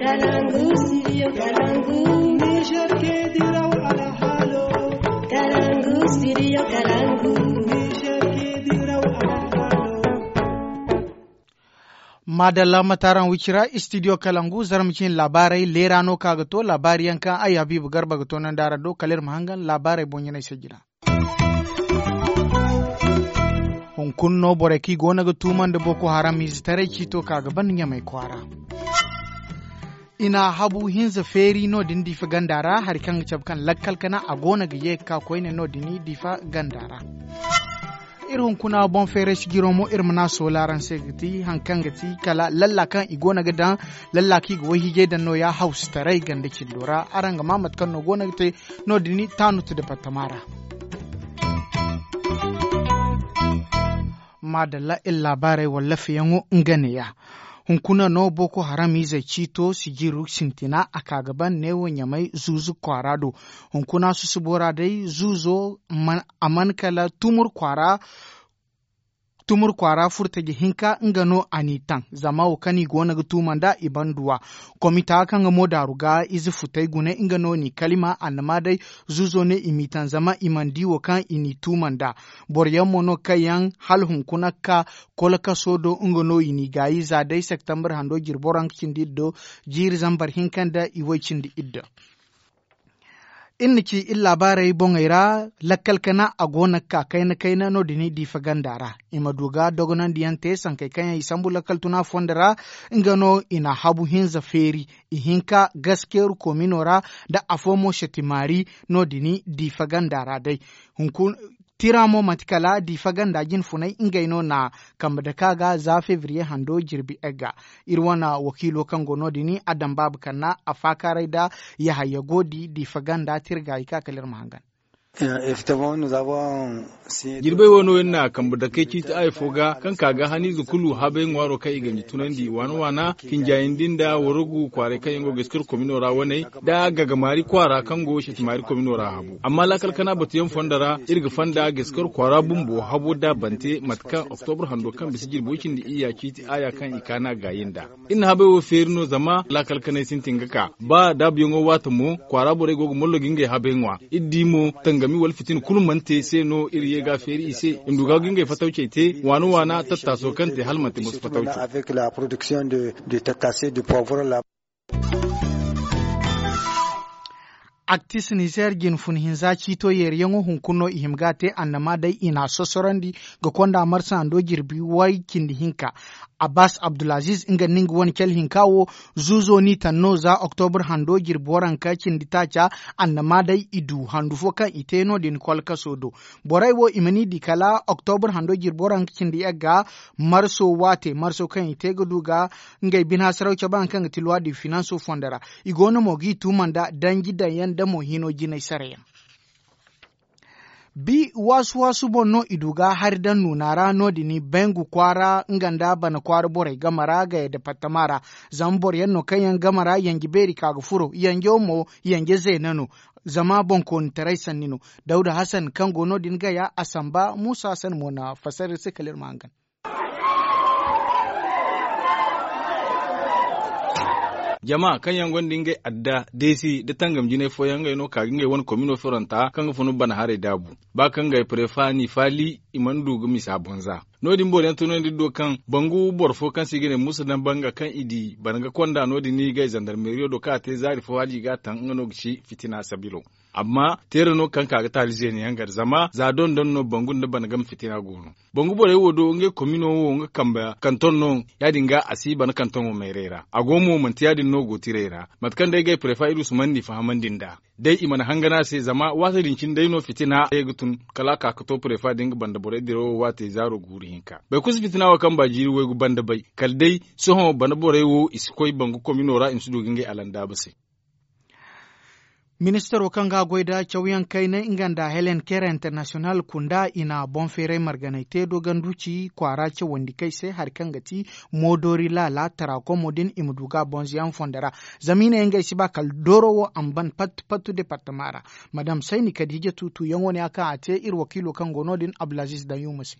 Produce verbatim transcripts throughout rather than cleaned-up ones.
Kalangu, studio Kalangu. Niger ke diraw alhalo. Kalangu, studio Kalangu. Niger ke diraw alhalo. Maadalla, mataaraŋ wicira, studio Kalangu, zarma cine laabaarey leera no ka ga to, laabaari yaŋ kaŋ ay Habiibu Garba ga toonandi araŋ do, kala iri ma hangan laabaarey boŋ-ɲanay se jina. Hunkuna no borey kaŋ i goono ga tuumandi Boko Haram ize taray ciito ka ga ban Ɲamay kwaara. I na habu hinza feeri no-din Diifa ganda ra, hari kaŋ ga cabe kaŋ lakkal kana a goono ga ye ga ka koyne no-din Diifa ganda ra. Iri hunkuna boŋ feeray sijiro mo, iri ma na a soola araŋ se ga ti haŋ kaŋ ga ti kala lalla kaŋ i goono ga daŋ, lalla kaŋ i ga wayhiijay daŋ nooya hawsitaray ganda cindo ra. Araŋ ga maa mate kaŋ no goono ga te no-din Taanut departama ra. Maadalla, iri laabaarey wallaafayaŋo nga neeya. Hunkuna no Boko Haram izey ciito sijiro sintina a ka ga ban neewo Ɲamay zuuzu kwaara do. Hunkuna susubo ra day zuuzo man, a man kala tumur kwaara, tumur kwaara furtaji hinka nga no a n'i taŋ, zama wo kaŋ i goono ga tuuma nd'a i banduwa. Komita kaŋ ga mo daaru ga ize futay gune nga no n'i kalima, annama day zuuzo ne i m'i taŋ zama i mana di wo kaŋ i n'i tuuma nd'a. Boro yaŋ mo no kaŋ yaŋ hala hunkuna ga ka kolkaso do nga no i n'i gaayi za day septembre hando jirbi waranka cindi iddo jiiri zambar hinka nda i way cindi iddo. Iri na ci iri laabaarey boŋey ra, lakkal kana a goono ga ka kayna kayna no-din Diifa ganda ra. I ma du ga dogonandiyaŋ te sankey kaŋ yaŋ i sambu lakkal tuna fondo ra. Nga no i na habu hinza feeri, i hinka gaskeeru komino ra, nda afo mo setimaari no-din Diifa ganda ra day. Hunkuna tira mo manti kala Diifa ganda jine funay ngey no na kambe dake a ga za febriye hando jirbi egga. Iri wane wakiilo kaŋ go no-din a daŋ baabu kanna a faakaaray nda yahaya goodi Diifa ganda tira ga i ka kala iri ma hangan. Jirbey wo no iri na kambe dake ciiti aya fo ga kaŋ ka ga haniize kulu habay ŋwaaro kaŋ i ganji tunandi waana waana, kinjayandi nda warugu kwaaray kaŋ yaŋ go ga iskir komino ra waney, nda gagamaari kwaara kaŋ go setimaari komino ra habu. Amma laakal kana batuyaŋ fondo ra iri ga fonda ga iskir kwaara bumbo habo da bante mate kaŋ oktobur hando kaŋ bisa jirbi way cindi iyya ciiti aya kaŋ i kaana gaayi nda. Iri na habay wo feeri no zama laakal kanay sintin ga ka ba daabuyaŋo waate mo kwaara borey go ga mollo ga ngey habay ŋwa. Iri di mo tangami wala fitina kulu mana te se no iri ye ga feeri i se i ma du ga ngey fatawcey te waana waana tattaaso kaŋ te hala manti moso fatawco. Actis nizer jine fun hinza ciito yeeriyaŋo hunkuna no i hima ga a te annama day i n'a sosorandi ga konda marsa hando jirbi way cindi hinka. Abbas abdulaziz nga nda nga wane cale hinka wo zuuzo n'i taŋ no za oktobur hando jirbi waranka cindi taaca. Annama day i du handu fo kaŋ i te no-din kolkaso do. Borey wo i ma ni di kala oktobur hando jirbi waranka cindi yagga marso waate marso kaŋ i te ga du ga ngey bine hasaraw cabe haŋ kaŋ ga ti luwa di finanso fondo ra. I go no mo g'i tuuma nda danji daŋ yaŋ nda mo hino jinay sara yaŋ. Bi waasu waasu boŋ no i du ga hari daŋ nuuna ra no-din bengu kwaara nga nda bana kwaara borey game ra gaya departama ra. Zama boro yaŋ no kaŋ yaŋ game ra yanje beeri ka ga furo yanjo mo yanje zeena no. Zama boŋkoonitaray sanni no. Dawda hasan kaŋ go no-din gaya a samba muusa hasan mo na fassara iri se kala iri ma hangan. Jama kaŋ yaŋ gonda ngey adda deesi nda tangam jinay fooyaŋ ngey no ka ga ngey wane komino feranta kaŋ ga funu bana haray daabu. Ba kaŋ ngey prefa n'i faali i mana du ga misa bonza. No-din boro yaŋ tunandi do kaŋ bangu boro fo kaŋ se i ga ne muusa daŋ banga kaŋ i di bana ga konda no-din i gay zandarmeriyo do kaŋ a te zaari fo hala i ga a taŋ nga no ga ci fitina sabilo. Amma teera no kaŋ ka ga taali zeena yaŋ gar zama za dondon no bangu nda bana game fitina go no. Bangu borey wo do ngey komino wo nga kambe kanton no. Ya- din ga a si bana kanton wo mayray ra a go mo manti ya- din no go tiray ra. Mate kaŋ day gay prefa iri usman n'i fahamandi nd'a day i mana hangan a se zama waati din cine day no fitina ye ga tun kala a ka ga to prefa da nga banda borey dirawo waate zaaro guuru hinka bay kulu si fitina wo kaŋ ba jiiri waygu banda bay kala day sohõ bana borey wo i si koy bangu komino ra i ma si du ga ngey alandaaba se. Ministaro kaŋ ga a goy nda cawyaŋ kaynay nga nda helen kere international kunda i na boŋ feeray marganay te doganduci kwaara cawandi kay se hari kaŋ ga ti moodori laala tara komo din i ma du ga a bonzoyaŋ fondo ra. Zama i ne ngey si ba kala dooro wo a ma ban pattu pattu departama ra. Madam sayni kadija tuutuuyaŋo ne a kaŋ a te iri wakiilo kaŋ go no- din abdulaziz danyuma se.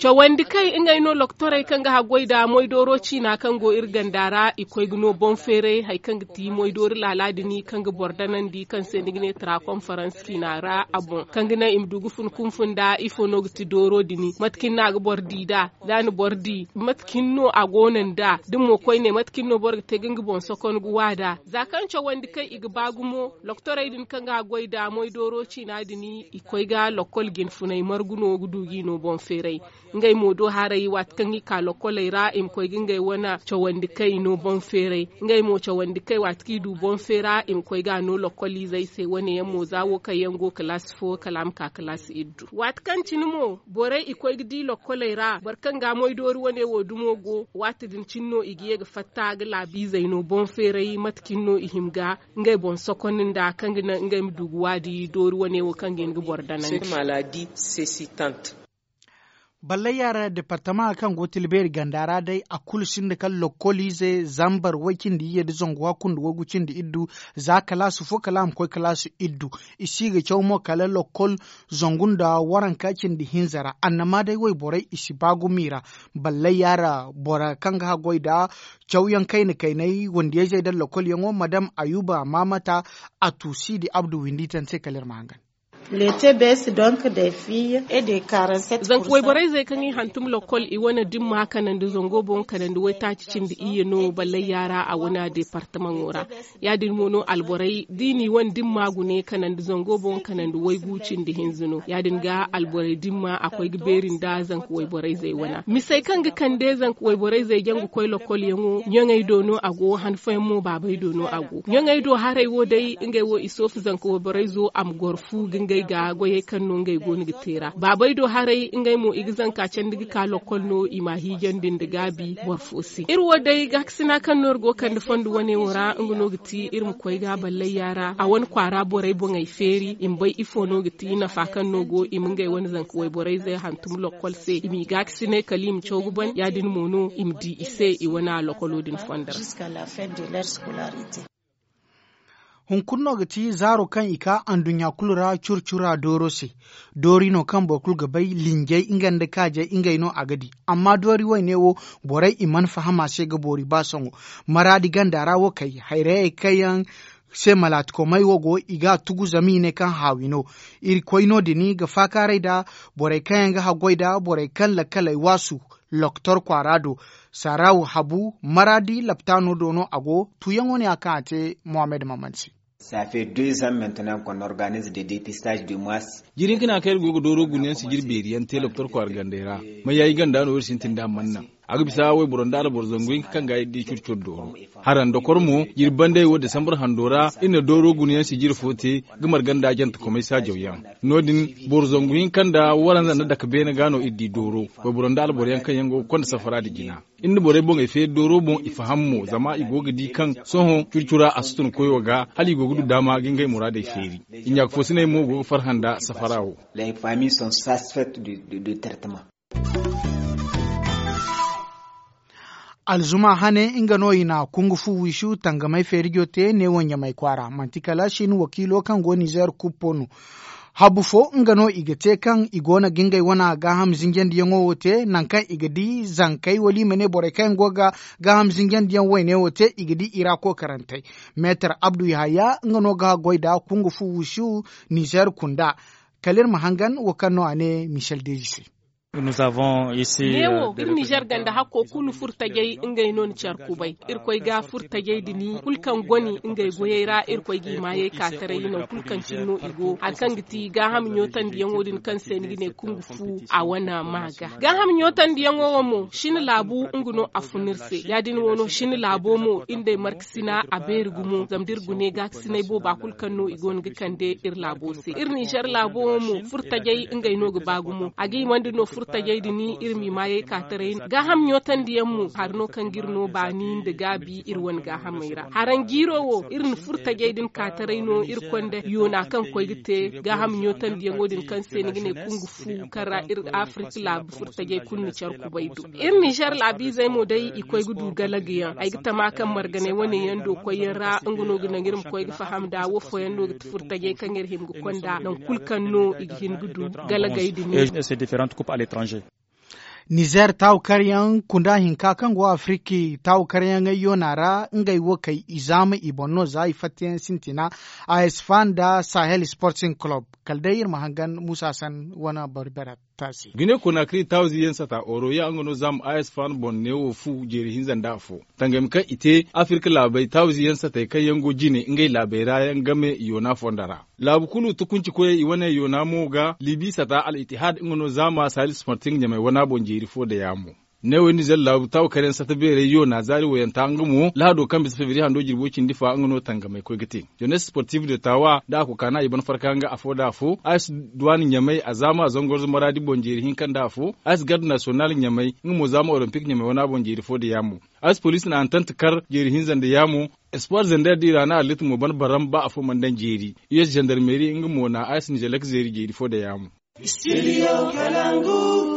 Cawandi kay ngey no loktorey kaŋ ga haggoy nda moydooro ciina kaŋ go iri ganda ra i koy ga no boŋ feeray hari kaŋ ga ti moydoori laala din kaŋ ga boro danandi kaŋ se ni ga ne tara konfarans ciina ra a boŋ kaŋ ga naŋ i ma du ga fun kunfun nda ifo no ga ti dooro din mate kaŋ ni no a ga boro di nd'a da a na boro di mate kaŋ no a go no nd'a da mo koyne mate kaŋ no boro ga te ga nga boŋ sokon ga wa nd'a za kaŋ cawandi kay i ga ba gumo. Loktorey din kaŋ ga haggoy nda moydooro ciina din i koy ga lokkol jinfunay margu no ga du g'i no boŋ feeray. Ngey mo do haray waati kaŋ i ka lokkoley ra i ma koy ga ngey wane cawandi kay no boŋ feeray. Ngey mo cawandi kay waati kaŋ i du boŋ feera i ma koy ga a no lokkoliizey se wane yaŋ mo za wo kaŋ yaŋ go kalaasi fo kala a ma ka kalaasi iddu waati kaŋ cine mo borey i koy ga di lokkoley ra boro kaŋ ga moydoori wane wo dumo go waati din cine no i ga ye ga fatta ga laabiizey no boŋ feeray mate kaŋ no i hima ga ngey boŋ sokondi nda kaŋ ga naŋ ngey ma du ga waadi doori wane wo kaŋ ga hin ga boro danandi. Ballay yaara departama kaŋ go tilbeeri ganda ra day a kulu sinda kala lokkoliize zambar way cindi iyye nda zangu hakku nda waygu cindi iddu za kalaasi fo kala a ma koy kalaasi iddu. I si ga caw mo kala lokkol zangu nda waranka cindi hinza ra annama day wayborey i si ba gumo i ra. Ballay yaara boro kaŋ ga haggoy nda cawyaŋ kayna kaynay wandiyayzey nda lokkolyaŋo madam ayuba maamata a tuusi di abdu windi tante kala iri ma hangan. Zanka wayborayzey kaŋ i hantum lokkol i wane dimma kanandi zango boŋ kanandi waytaaci cindi iyye no ballay yaara a wane departamaŋo ra. Ya- din mo no alborey da i n'i wane dimma gune kanandi zango boŋ kanandi waygu cindi hinza no ya- din ga alborey dimma a koy ga beeri nda zanka wayborayzey wana misey kaŋ ga kande zanka wayborayzey jaŋ ga koy lokolyaŋo ɲaŋey do no a go han fooyaŋ mo baabey do no a go ɲaŋey do haray wo day ngey wo i soofu zanka wayborayzo a ma goro fu ga ngey ga goyey kaŋ no ngey go no ga te ra baabey do haray ngey mo i ga zanka candi ga ka lokol no i m'a hiijandi nda gaabi boro fo se iri wo day gaakasina kaŋ no iri go kande fondo wane wo ra nga no ga ti iri ma koy ga ballay yaara a wane kwaara borey boŋey feeri i ma bay ifo no ga ti nafa kaŋ no go i ma ngey wane zanka wayborayzey hantum lokol se i m'i gaakasinay kala i ma caw ga ban ya- din mo no i ma di i se i wane lokolo din fondo ra. Hunkuna no ga ti zaaro kaŋ i ka anduɲɲa kulu ra cura cura dooro se. Doori no kaŋ boro kulu ga bay linjay nga nda kaajay ngey no a ga di. Amma doori wayne wo borey i mana faham a se ga boori ba sohõ. Maraadi ganda ra wo kay hayrayey kaŋ yaŋ se malaatikomey wo go i ga a tugu zama i ne kaŋ haawi no. Irkoy no- din ga faakaaray nda borey kaŋ yaŋ ga haggoy nda borey kaŋ lakkaley waasu. Loktor kwaara do saaraw habu maraadi laptaano do no a go tuuyaŋo ne a kaŋ a te mohammed maman se. Jiiri hinka no a kaŋ iri go ga dooro gunayaŋ sijiri beeri yaŋ te loktor kwaara gandey ra. Mayaayi ganda no iri sintin da a mana naŋ a ga bisa wayboro nda alboro zangu hinka kaŋ ga iri di curi curi dooro. Hara nda kor mo jiiri bandey wo desambar hando ra iri na dooro gunayaŋ sijiri fo te ga marga nda jantakomey saajaw yaŋ. No- din boro zangu hinka nda waranza nda dake beene ga no iri di dooro. Wayboro nda alboro yaŋ kaŋ yaŋ go ga konda safara nda jina. Iri na borey boŋey feeri dooro boŋ i faham mo zama i go ga di kaŋ sohõ curi cura a si tun koyo ga hala i go ga du daama ga ngey muraadey feeri. I ɲaaka foosiney mo go ga farhã nda safara wo. Alzuma hane nga no i na kungu fu wiisu tangamay feerijo te neewo ɲamay kwaara manti kala sin wakiilo kaŋ go nizeer kuppo no. Habu fo nga no i ga te kaŋ i go no ga ngey wane gaaham zinjandiyaŋo wo te nangu kaŋ i ga di zankey wala i ma ne borey kaŋ yaŋ go ga gaaham zinjandiyaŋ wayne wo te i ga di i ra kookarantey. Meetar abdu yahaya nga no ga goy nda kungu fu wiisu nizeer kunda. Kala iri ma hangan wo kaŋ no a ne michel deji se. Neewo iri nizer ganda hakko kulu furtajey ngey no ni care kubay. Irkoy ga furtajey din kulu kaŋ goni ngey goyey ra irkoy g'i maayey ka taray nangu kulu kaŋ cine no i go hari kaŋ ga ti gaaham ɲootandiyaŋo din kaŋ se ni ga ne kungu fu a wane ma ga. Gaaham ɲootandiyaŋo wo mo sina laabu nga no a fun iri se ya- din wo no sina laabo mo iri nd'ey markasina a beeri gumo zama da iri gune gaakasinay booba kulu kaŋ no i go no ga kande iri laabo se iri nizer laabo wo mo furtajey ngey no ga ba gumo a ga himandi no. Tajey din iri m'i maayey ka taray gaaham ɲootandi yaŋ mo hari no kaŋ ga iri no baani nda gaabi iri wane gaahamey ra haraŋ jiiro wo iri na furo tajey din ka taray no iri konda yoona kaŋ koy ga te gaaham ɲootandi yaŋo din kaŋ se ni ga ne kungu fu kaŋ ra iri afirika laabu furo tajey kulu na care kubay do. Iri nizer laabiizey mo day i koy ga du galaga yaŋ ay ga tama kaŋ marganey wane yaŋ do koyyaŋ ra nga no ga naŋ iri ma koy ga faham nda wo fooyaŋ no ga ti furo tajey kaŋ iri hima ga konda nangu kulu kaŋ no i ga hin ga du galagey din. Nizer taawu karyaŋ kunda hinka kaŋ go afiriki taawu karyaŋey yoona ra ngey wo kay i zaama i boŋ no za i fattayaŋ sintina a s fan nda sahel sporting club. Kala day iri ma hangan muusa san wane barbara taasi. Gine konakri taawu ziyaŋ sata oroya nga no zaama a s fan boŋ neewo fu jeeri hinza nda afo. Tangami kaŋ i te afirka laabey taawu ziyaŋ satey kaŋ yaŋ go jine ngey laabey ra yaŋ game yoona fondo ra. Laabu kulu tukunci koyey i wane yoona mo ga libi sata al itihad nga no zaama sahel sporting ɲamey wana boŋ jeeri fo da yaamo. Neewey nizer laabu taawu karyaŋ sata beerey yoona zaari wayanta nga mo lahado kaŋ bisa febiri hando jirbo cindi fa nga no tangamey koy ga te. Jenes sportif de taawa da a kokaana i ban farka nga afo da afo a si duwani ɲamey a zaama a zangorzo maraadi boŋ jeeri hinka nda afo a si garde nasiyonal ɲamey nga mo zaama olompic ɲamey wana boŋ jeeri fo da yaamo. A si poliisi na antant kar jeeri hinza nda yaamo. Espoir zender da i ra na allit mo ban baram ba afo mana daŋ jeeri. Us zandarmeri nga mo na a si nizelek zeeri jeeri fo da yaamo.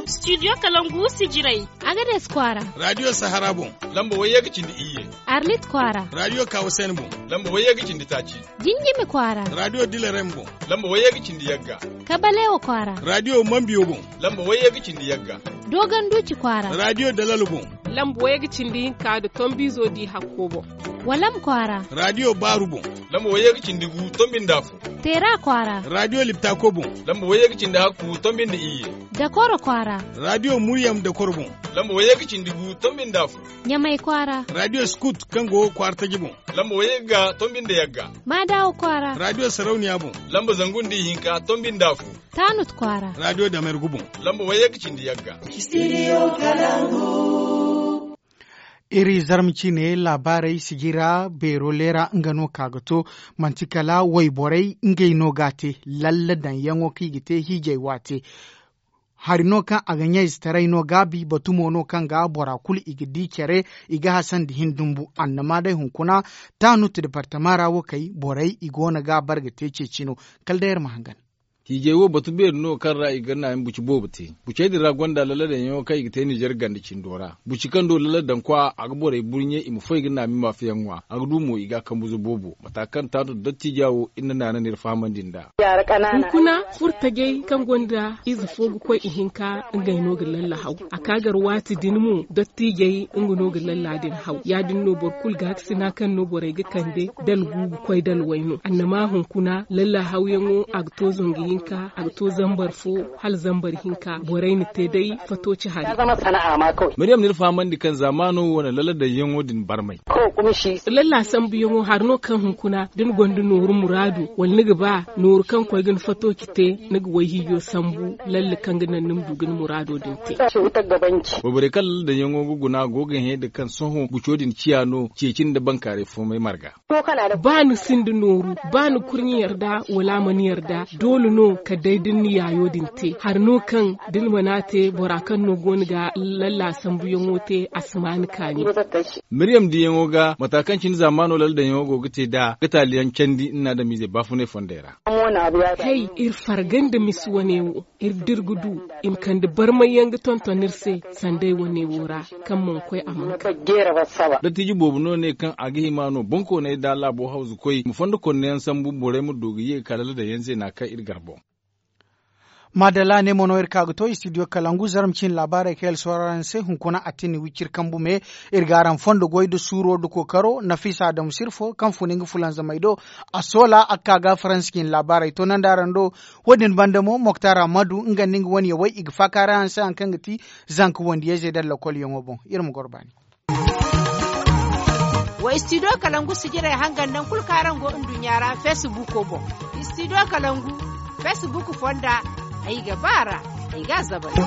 Studio kalangu sijirey. Agades kwaara. Radio sahara boŋ. Lamba wayye ga cindi iyye. Arlit kwaara. Radio kawasen boŋ. Lamba wayye ga cindi taaci. Jinjimi kwaara. Radio dilarem boŋ. Lamba wayye ga cindi yagga. Kabalewa kwaara. Radio mambiyo boŋ. Lamba wayye ga cindi yagga. Dogon duci kwaara. Radio dalalo boŋ. Lamba wayye ga cindi hinka da tombizo di hakko boŋ. Walam kwaara. Radio baaru boŋ. Lamba wayye ga cindi gu tombi nda afo. Teera kwaara. Radio liptako boŋ. Lamba wayye ga cindi hakku tombi nda iyye. Dakoro kwaara. Radio muryam dakoro boŋ. Lamba wayye ga cindi gu tombi nda afo. Ɲamay kwaara. Radio skut kaŋ go kwaara taji boŋ. Lamba wayye ga tombi nda yagga. Maadawo kwaara. Radio sarauniya boŋ. Lamba zangu nda ihinka tombi nda afo. Taanut kwaara. Radio damergu boŋ. Lamba wayye ga cindi yagga. Iri zarma ciine laabaarey sijira beero leera nga no ka ga to. Manti kala wayborey ngey no ga a te. Lalla daŋyaŋo kaŋ i ga te hiijay waate. Hari no kaŋ a ga ɲayzetaray no gaabi batumo no kaŋ ga bora kulu i ga di care. I ga hasandi hin dumbu annama day hunkuna. Taanut departama ra wo kay borey i go no ga a bare ga te ceeci no. Kala day iri ma hangan. Hiijay wo batu beeri no kaŋ ra i ga naani buci boobo te. Bucey din ra gonda lalladaŋyaŋo kaŋ i ga te nizer ganda cindo ra. Buci kaŋ do lalladaŋ kwa a ga borey burɲe i ma foy ga naami maafiyaŋ ŋwa a ga du mo i ga a kambuzo boobo mata kaŋ taatu dattiija wo iri na naana no iri fahamandi nd'a. Hunkuna furtajey kaŋ gonda ize fo ga koy ihinka ngey no ga lallahaw. A ka gar waati din mo dattiijey nga no ga lalla din haw ya- din no boro kulu gaakasina kaŋ no borey ga kande dala gu ga koy dala way no annama hunkuna lallahawyaŋo a ga to zangu hinka a ga to zambar fo hala zambar hinka borey na te day fato ci hari. Maryam na iri fahamandi kaŋ zaamaano wane lalladaŋyaŋo din barmay. Lalla sambuyaŋo hari no kaŋ hunkuna da ni gonda nooru muraadu wala ni ga ba nooru kaŋ koy ga ni fato ci te ni ga wayhiijo sambu lalle kaŋ ga naŋ ni ma du ga ni muraado din te. Wayborey kaŋ lalladaŋyaŋo ga guna go ga hẽ da kaŋ sohõ buco din ciya no ceeci nda bankaaray foomay marga. Ba ni sinda nooru ba ni kurɲe yarda wala a mana yarda doole no kala day da ni na yaayo din te hari no kaŋ da ni mana a te bora kaŋ no go ni ga lalla sambuyaŋo te a si ma ni kaani. Maryam diyaŋo ga mata kaŋ cine zaamaano lalladaŋyaŋo go ga te nd'a ga taaliyaŋ candi ni na adamiizey baafunay fondey ra. Hay iri farga nda misi wane wo iri da iri ga du i ma kande barmayyaŋ ga tonton iri se sanda ay wane wo ra kaŋ mana koy a mana ka. Dattiiji boobo no ne kaŋ a ga hima no bonkooney da laabo hawzukoy ma fondo konneyaŋ sambu borey ma du ga ye ga kala ladayaŋ zeena kaŋ iri gar boŋ. Maadalla ne mo no iri ka ga to istidiyo kalangu zarma ciine laabaarey kaŋ iri soora araŋ se hunkuna a tini wiciri kambu me. Iri ga araŋ fondo goy nda suuro nda kookaro nafisa adamu sirfo kaŋ fun nga fulanzamey do. A soola a ga ka ga faransa ciine laabaarey toonandi araŋ do. Wo- din banda mo moktar ammadu nga nda nga wane yawey i ga faaka araŋ se hari kaŋ ga ti zanka wandiyayzey nda lakolyaŋo boŋ. Iri ma goro baani. Wa istidiyo kalangu sijirey hangan nangu kulu kaŋ araŋ go nduɲɲa ra feesibuuko boŋ. Istidiyo kalangu feesibuuko fonda ay ga ba a ra ay ga a zabari.